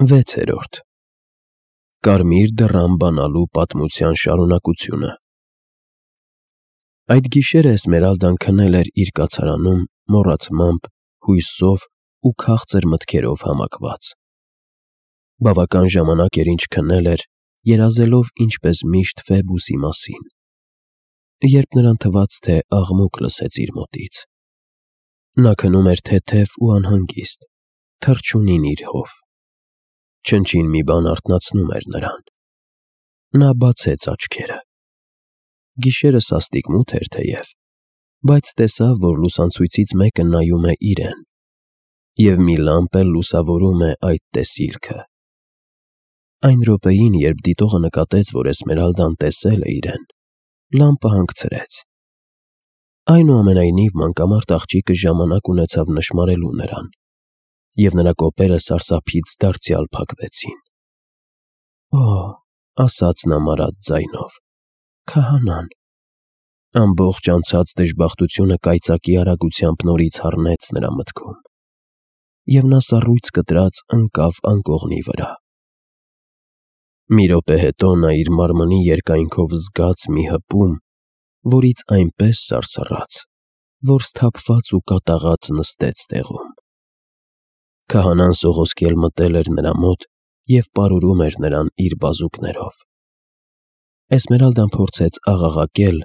6. Կարմիր դռան բանալու պատմության շարունակությունը։ Այդ գիշերը Էսմերալդան քնել էր իր կացարանում մոռացմամբ, հույսով ու քաղցր մտքերով համակված։ Բավական ժամանակ էր ինչ քնել էր, երազելով ինչպես միշտ Ֆեբուսի մասին, երբ նրան թվաց, թե աղմուկ լսեց իր մոտից։ Նա քնում էր թեթև ու անհանգիստ, թռչունին իր հով։ Չնչին մի բան արթնացնում էր նրան։ Նա բացեց աչքերը։ Գիշերը սաստիկ մութ էր թեև, բայց տեսավ, որ լուսանցույցից մեկը նայում է իրեն, և մի լամպ էլ լուսավորում է այդ տեսիլքը։ Այն րոպեին, երբ դիտողը նկատեց, որ Էսմերալդան տեսել է իրեն, լամպը հանգցրեց։ Այնուամենայնիվ մանկամարտ աղջիկը ժամանակ ունեցավ նշմարելու նրան, և նրա կոպերը սարսափից դարձյալ փակվեցին։ «Օ՜», ասաց նա մարած ձայնով, «քահանան»։ Ամբողջ անցած դժբախտությունը կայծակի արագությամբ նորից հառնեց նրա մտքում, և նա սառույց կտրած ընկավ անկողնի վրա։ Մի րոպե հետո նա իր մարմնի երկայնքով զգաց մի հպում, որից այնպես սարսռաց, որ սթափված ու կատաղած նստեց տեղում։ Քահանան սողոսկել մտել էր նրա մոտ և պարուրում էր նրան իր բազուկներով։ Էսմերալդան փորձեց աղաղակել,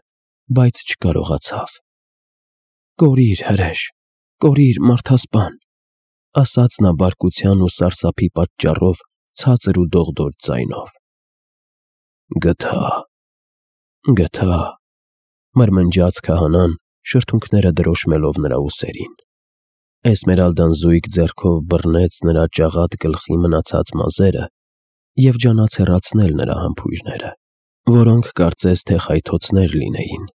բայց չկարողացավ։ «Կորիր, հրեշ, կորիր, մարդասպան», ասաց նա բարկության ու սարսափի պատճառով ցածր ու դողդոջ ձայնով։ «Գթա», մրմնջաց քահանան, շրթունքները դրոշմելով նրա ուսերին։ Էսմերալդան զույգ ձեռքով բռնեց նրա ճաղատ գլխի մնացած մազերը և ջանաց հեռացնել նրա համբույրները, որոնք կարծես թե խայթոցներ լինեին։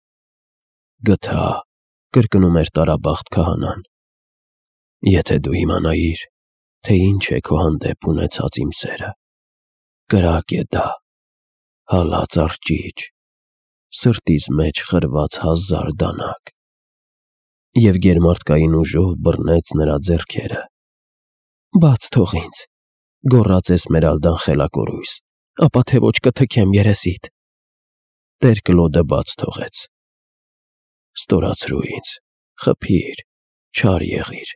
«Գթա», կրկնում էր տարաբախտ քահանան, «եթե դու իմանայիր, թե ինչ է քո հանդեպ ունեցած իմ սերը, կրակ է դա, հալած արճիճ, սրտիս մեջ խրված 1000 դանակ»։ Եվ գերմարդկային ուժով բռնեց նրա ձեռքերը։ «Բաց թող ինձ», գոռաց Էսմերալդան խելակորույս, «ապա թե ոչ կթքեմ երեսիդ»։ Տեր-Կլոդը բաց թողեց։ «Ստորացրու ինձ, խփիր, չար եղիր,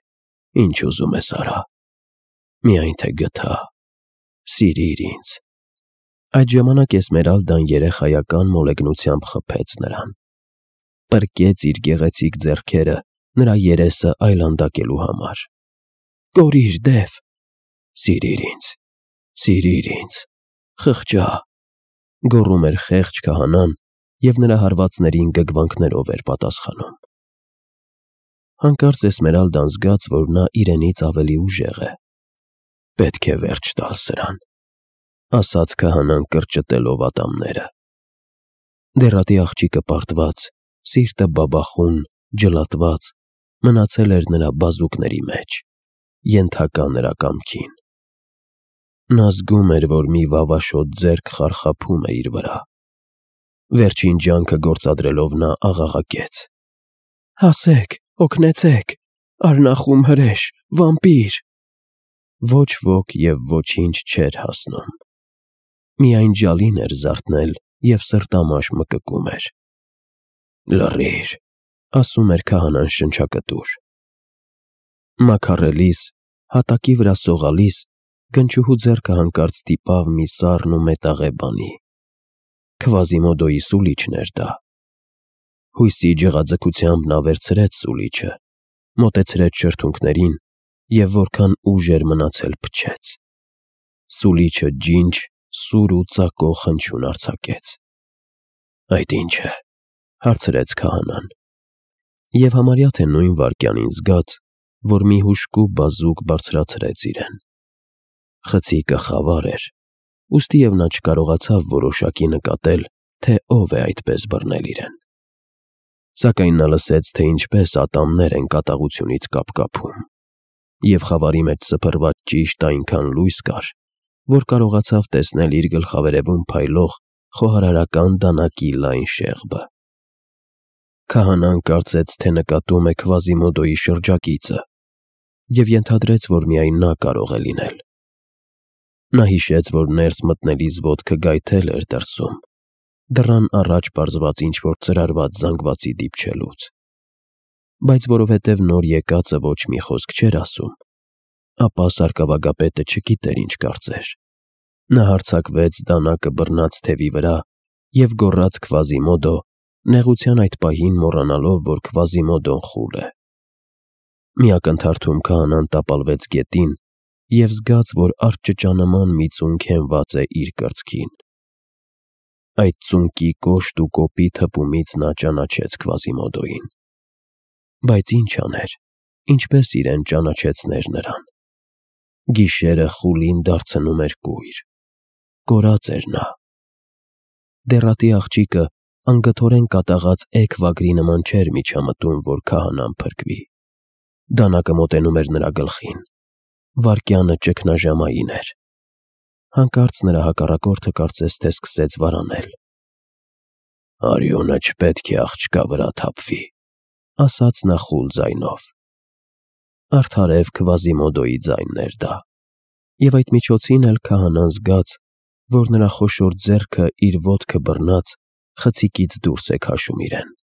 ինչ ուզում ես արա, միայն թե գթա, սիրիր ինձ»։ Այդ ժամանակ Էսմերալդան երեխայական մոլեգնությամբ խփեց նրան, պրկեց իր գեղեցիկ ձեռքերը նրա երեսը այլանդակելու համար։ «Կորիր, դև»։ «Սիրիր ինձ, խղճա», գոռում էր խեղճ քահանան և նրա հարվածներին գգվանքներով էր պատասխանում։ Հանկարծ Էսմերալդան զգաց, որ նա իրենից ավելի ուժեղ է։ «Պետք է վերջ տալ սրան», ասաց քահանան կրճտելով ատամները։ Դեռատի աղջիկը պարտված, սիրտը բաբախուն, ջլատված, մնացել էր նրա բազուկների մեջ, ենթակա նրա կամքին։ Նա զգում էր, որ մի վավաշոտ ձեռք խարխափում է իր վրա։ Վերջին ջանքը գործադրելով նա աղաղակեց. «Հասեք, օգնեցեք, արնախում հրեշ, վամպիր»։ Ոչ ոք և ոչինչ չէր հասնում։ Միայն ջալին էր զարթնել և սրտամաշ մկկում էր։ «Լռիր», ասում էր քահանան շնչակտուր։ Մաքառելիս, հատակի վրա սողալիս, գնչուհու ձեռքը հանկարծ ստիպավ մի սառն ու մետաղե բանի։ Քվազիմոդոյի սուլիչն էր դա։ Հույսի ջղաձգությամբ նա վերցրեց սուլիչը, մոտեցրեց շրթունքներին և որքան ուժ էր մնացել փչեց։ Սուլիչը ջինջ, սուր ու ծակող հնչյուն արձակեց։ «Այդ ի՞նչ է», հարցրեց քահանան։ Եվ համարյա թե նույն վայրկյանին զգաց, որ մի հուժկու բազուկ բարձրացրեց իրեն։ Խցիկը խավար էր, ուստիև նա չկարողացավ որոշակի նկատել, թե ով է այդպես բռնել իրեն։ Սակայն նա լսեց, թե ինչպես ատամներ են կատաղությունից կապկապում, և խավարի մեջ սփռված ճիշտ այնքան լույս կար, որ կարողացավ տեսնել իր գլխավերևում փայլող խոհարարական դանակի լայն շեղբը։ Քահանան կարծեց, թե նկատում է Քվազիմոդոյի շրջակիցը, և ենթադրեց, որ միայն նա կարող է լինել։ Նա հիշեց, որ ներս մտնելիս ոտքը գայթել էր դրսում, դռան առաջ պարզված ինչ-որ ծրարված զանգվածի դիպչելուց։ Բայց որովհետև նոր եկածը ոչ մի խոսք չէր ասում, ապա սարկավագապետը չգիտեր ինչ կարծեր։ Նա հարձակվեց դանակը բռնած թևի վրա և գոռաց Քվազիմոդո, նեղության այդ պահին մոռանալով, որ Քվազիմոդոն խուլ է։ Մի ակնթարթում քահանան տապալվեց գետին և զգաց, որ արճճանման մի ծունկ հենված է իր կրծքին։ Այդ ծունկի կոշտ ու կոպիտ հպումից նա ճանաչեց Քվազիմոդոյին։ Բայց ինչ աներ, ինչպես իրեն ճանաչեցներ նրան։ Գիշերը խուլին դարձնում էր կույր։ Կորած էր նա։ Դեռատի աղջիկը անգթորեն կատաղած էգ վագրի նման չէր միջամտում, որ քահանան փրկվի։ Դանակը մոտենում էր նրա գլխին։ Վայրկյանը ճգնաժամային էր։ Հանկարծ նրա հակառակորդը կարծես թե սկսեց վարանել։ «Արյունը չպետք է աղջկա վրա թափվի», ասաց նա խուլ ձայնով։ Արդարև Քվազիմոդոյի ձայնն էր դա, և այդ միջոցին էլ քահանան զգաց, որ նրա խոշոր ձեռքը իր ոտքը բռնած խցիկից դուրս է քաշում իրեն։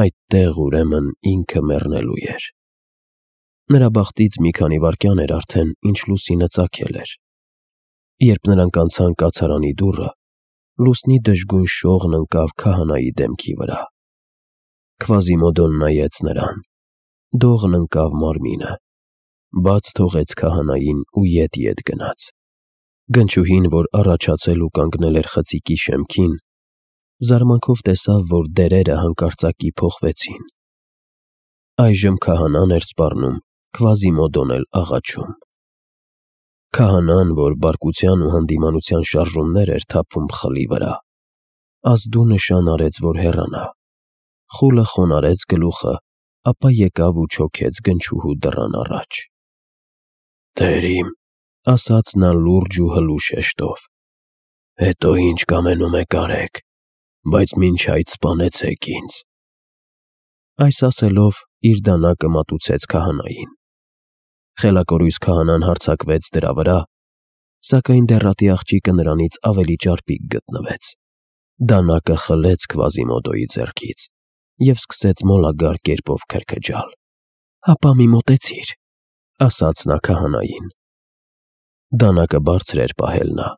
Այդտեղ ուրեմն ինքը մեռնելու էր։ Նրա բախտից մի քանի վայրկյան էր արդեն, ինչ լուսինը ծագել էր։ Երբ նրանք անցան կացարանի դուռը, լուսնի դժգույն շողն ընկավ քահանայի դեմքի վրա։ Քվազիմոդոն նայեց նրան։ Դողն ընկավ մարմինը, բաց թողեց քահանային ու ետ գնաց։ Գնչուհին, որ առաջացել ու կանգնել էր խցիկի շեմքին, զարմանքով տեսավ, որ դերերը հանկարծակի փոխվեցին։ Այժմ քահանան էր սպառնում, Քվազիմոդոն էլ աղաչում։ Քահանան, որ բարկության ու հանդիմանության շարժումներ էր թափում խլի վրա, ազդու նշան արեց, որ հեռանա։ Խուլը խոնարհեց գլուխը, ապա եկավ ու չոքեց գնչուհու դռան առաջ։ «Տեր իմ», ասաց նա լուրջ ու հլու շեշտով, «հետո ինչ կամենում եք արեք, բայց մինչ այդ սպանեցեք ինձ»։ Այս ասելով իր դանակը մատուցեց քահանային։ Խելակորույս քահանան հարձակվեց դրա վրա, սակայն դեռատի աղջիկը նրանից ավելի ճարպիկ գտնվեց։ Դանակը խլեց Քվազիմոդոյի ձեռքից և սկսեց մոլագար կերպով քրքջալ։ «Հապա մի մոտեցիր», ասաց նա քահանային։ Դանակը բարձր էր պահել նա։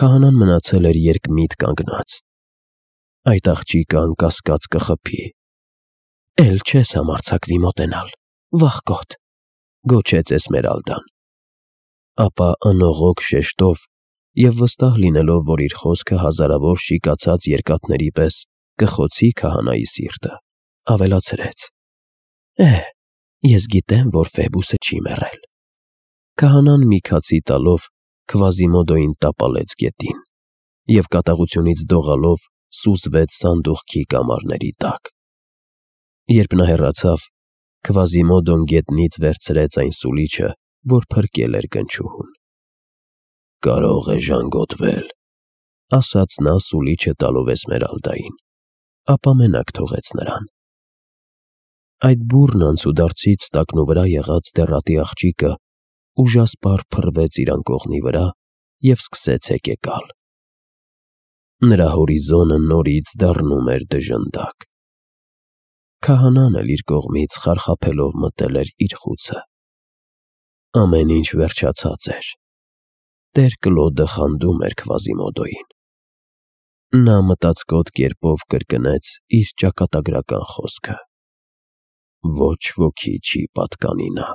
Քահանան մնացել էր երկմիտ կանգնած։ Այդ աղջիկը անկասկած կխփի։ «Էլ չես համարձակվի մոտենալ, վախկոտ», գոչեց Էսմերալդան։ Ապա անողոք շեշտով և վստահ լինելով, որ իր խոսքը հազարավոր շիկացած երկաթների պես կխոցի քահանայի սիրտը, ավելացրեց. Ես գիտեմ, որ Ֆեբուսը չի մեռել։ Քահանան մի քացի տալով Քվազիմոդոյին տապալեց գետին և կատաղությունից դողալով սուզվեց սանդուղքի կամարների տակ։ Երբ նա հեռացավ, Քվազիմոդոն գետնից վերցրեց այն սուլիչը, որ փրկել էր գնչուհուն։ «Կարող է ժանգոտվել», ասաց նա սուլիչը տալով Էսմերալդային, ապա մենակ թողեց նրան։ Այդ բուռն անցուդարձից տակնուվրա եղած դեռատի աղջիկը ուժասպառ փռվեց իր անկողնի վրա և սկսեց հեկեկալ։ Նրա հորիզոնը նորից դառնում էր դժնդակ։ Քահանան էլ իր կողմից խարխափելով մտել էր իր խուցը։ Ամեն ինչ վերջացած էր։ Տեր Կլոդը խանդում էր Քվազիմոդոյին։ Նա մտածկոտ կերպով կրկնեց իր ճակատագրական խոսքը. «Ոչ ոքի չի պատկանի նա»։